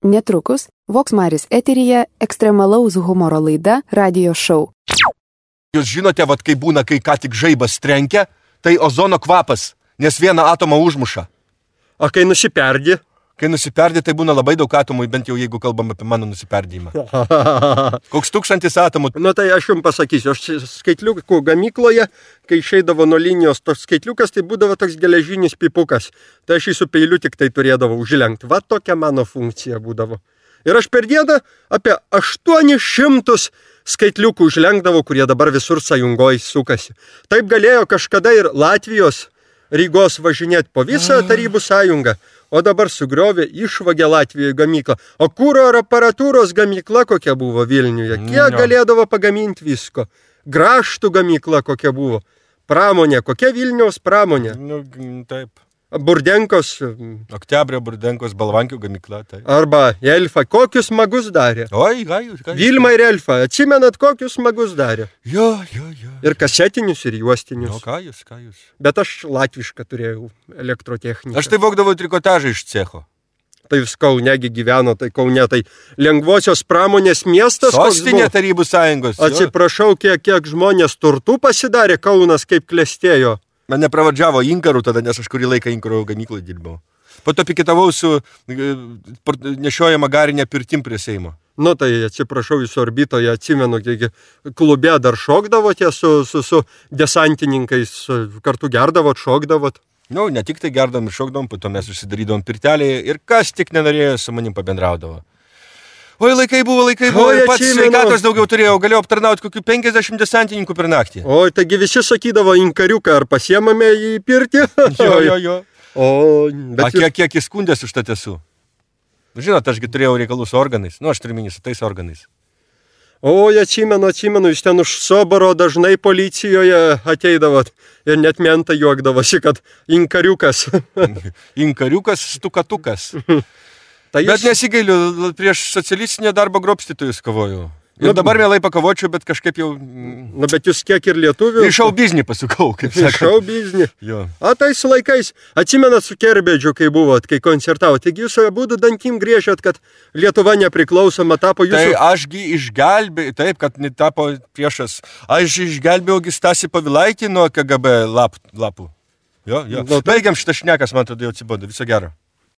Netrukus Voksmaris eteryje ekstremalaus humoro laida Radio Show. Jūs žinote, kai būna, kai ką tik žaibas trenkia, tai ozono kvapas, nes vieną atomą užmuša. O kai nusiperdė? Kai nusiperdė, tai būna labai daug atomų, bent jau jeigu kalbam apie mano nusiperdėjimą. Koks 1000 atomų. Nu tai aš jums pasakysiu, aš skaitliukų gamykloje, kai išeidavo nuo linijos toks skaitliukas, tai būdavo toks geležinis pipukas. Tai aš jį su peiliu tik tai turėdavau užlenkti. Va tokia mano funkcija būdavo. Ir aš per dieną apie 800 skaitliukų užlenkdavau, kurie dabar visur sąjungoj sukasi. Taip galėjo kažkada ir Latvijos Rygos važinėti po visą Tarybų sąjungą, o dabar sugriovė, išvagė Latvijoje gamyklą. O kuro ir aparatūros gamykla kokia buvo Vilniuje, kiek galėdavo pagaminti visko. Graštų gamykla kokia buvo. Pramonė, kokia Vilniaus pramonė. Nu, taip. Burdenkos. Oktябrio Burdenkos Balvankių gamykla. Taip. Arba Elfa, kokius magus darė. Oi, gai. Vilma ir Elfa, atsimenat, kokius magus darė. Jo. Ir kasetinius, ir juostinius. O ką jūs? Bet aš latvišką turėjau elektrotechniką. Aš tai vogdavau trikotažą iš cecho. Tai jūs Kaunegi gyveno, tai Kaune, tai lengvosios pramonės miestas. Sostinė Tarybų sąjungos. Atsiprašau, kiek žmonės turtų pasidarė, Kaunas kaip klestėjo. Mane pravardžiavo inkarų tada, nes aš kurį laiką inkarų gamyklai dirbau. Po to piketavau su nešiojama garinė pirtim prie Seimo. Nu tai atsiprašau, jūs orbitoje atsimenu, kiek klube dar šokdavote su desantininkais, kartu gerdavot, šokdavot. Nu, ne tik tai gerdavom ir šokdavom, po to mes užsidarydavom pirtelėje ir kas tik nenorėjo su manim pabendraudavo. Oi, laikai buvo, pats sveikatos daugiau turėjau, galėjau aptarnauti kokių 50 desantininkų per naktį. Oi, taigi visi sakydavo inkariuką, ar pasiemame į pirtį? Jo. O, bet kiek įskundęs už tą esu? Žinot, ašgi turėjau reikalų su organais, aš turiu minį su tais organais. Oi, atsimenu, jūs ten už Soboro dažnai policijoje ateidavot ir net mentai juokdavosi, kad inkariukas. Inkariukas, stukatukas. Tai bet nesigailiu, prieš socialistinę darbo grobstytojus kovoju. Ir dabar mielai pakavočiau, bet kažkaip jau... Na, bet jūs kiek ir lietuvių... Į šou biznį pasukau, kaip sakant. Į šou biznį. Jo. O tais laikais, atsimenat su Kerbedžiu, kai buvot, kai koncertavot, taigi jūs abudu dantim griežėt, kad Lietuva nepriklausoma tapo jūsų... Tai ašgi išgelbėjau, taip, kad tapo priešas. Aš išgelbėjau Stasį Povilaitį nuo KGB lapų. Jo. Baigiam šitą šnekas, man atrodo, jau atsibodo. Viso gero.